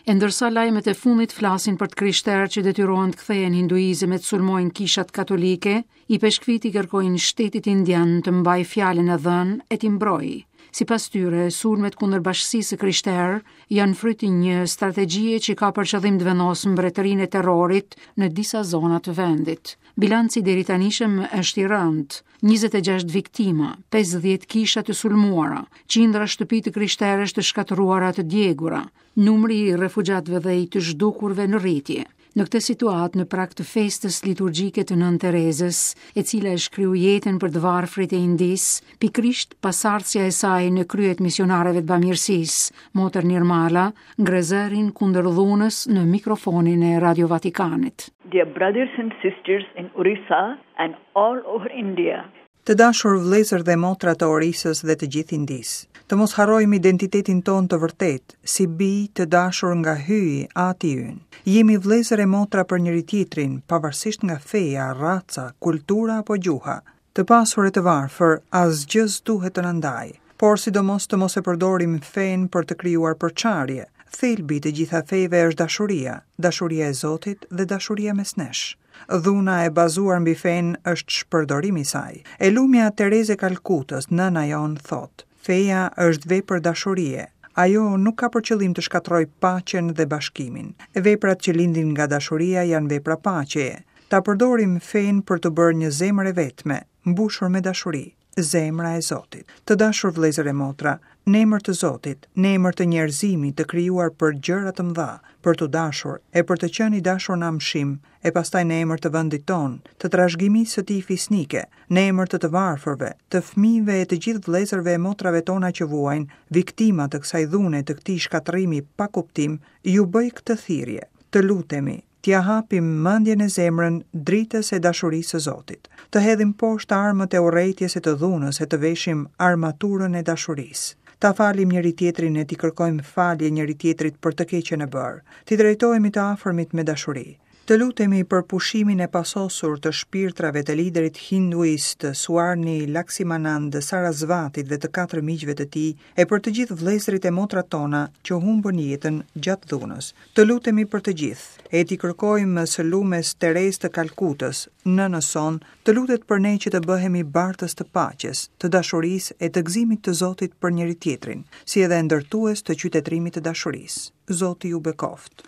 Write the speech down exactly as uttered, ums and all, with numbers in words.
E ndërsa lajmet e fundit flasin për të krishterë që detyrohen të kthehen hinduizëm e të sulmojnë kishat katolike, ipeshkvit i kërkojnë shtetit indian të mbajë fjalën e dhënë e t'i mbrojë. Sipas tyre, sulmet kundër bashkësisë së krishterë janë fryt i një strategjie që ka për qëllim të vendosë mbretërinë e terrorit në disa zona të vendit. Bilanci deri tanishëm është i rëndë: njëzet e gjashtë viktima, pesëdhjetë kisha të sulmuara, qindra shtëpi të krishterësh të shkatërruara, të djegura, numri i refugjatëve dhe i të zhdukurve në rritje. Në këtë situatë, në prag të festës liturgjike të Nënë Terezës, e cila e shkriu jetën për të varfrit e Indisë, pikrisht pasardhësja e saj në kryet misionareve të bamirësisë, Motër Nirmala, ngre zërin kundër dhunës në mikrofonin e Radio Vatikanit. Dear brothers and sisters in Orissa and all over India. Të dashur vëllezër dhe motra të Orisës dhe të gjithë Indisë, të mos harrojmë identitetin tonë të vërtetë, si bij të dashur nga Hyji, Ati ynë. Jemi vëllezër e motra për njëri tjetrin, pavarësisht nga feja, raca, kultura apo gjuha. Të pasur e të varfër, asgjë s'duhet të na ndajë, por sidomos të mos e përdorim fenë për të krijuar përçarje. Thelbi i të gjitha fejve është dashuria, dashuria e Zotit dhe dashuria mes nesh. Dhuna e bazuar mbi fenë është shpërdorimi i saj. E lumja Tereze Kalkutës, nëna jonë, thotë: "Feja është vepër dashurie. Ajo nuk ka për qëllim të shkatërrojë paqen dhe bashkimin. Veprat që lindin nga dashuria janë vepra paqeje. Ta përdorim fenë për të bërë një zemër e vetme, mbushur me dashuri, zemra e Zotit." Të dashur vëllezër e motra, në emër të Zotit, në emër të njerëzimit të krijuar për gjëra të mëdha, për të dashur e për të qenë i dashur në amshim, e pastaj në emër të vendit tonë, të trashëgimisë së tij fisnike, në emër të të varfërve, të fëmijëve e të gjithë vëllezërve e motrave tona që vuajnë, viktima të kësaj dhune, të këtij shkatërrimi pa kuptim, ju bëj këtë thirrje. Të lutemi, t'ia hapim mendjen e zemrën dritës e dashurisë së Zotit. Të hedhim poshtë armët e urrejtjes e të dhunës e të veshim armaturën e dashurisë. Ta falim njëri tjetrin e t'i kërkojmë falje njëri tjetrit për të keqen e bërë. T'i drejtohemi të afërmit me dashuri. Të lutemi për pushimin e pasosur të shpirtrave të liderit hinduist Swami Laxmanand Sarasvatit dhe të katër miqve të tij, e për të gjithë vëllezërit e motrat tona që humbën jetën gjatë dhunës. Të lutemi për të gjithë, e t'i kërkojmë së lumes Terezë të Kalkutës, nënës sonë, të lutet për ne që të bëhemi bartës të paqes, të dashurisë e të gëzimit të Zotit për njëri tjetrin, si edhe ndërtues të qytetërimit të dashurisë. Zoti ju bekoftë.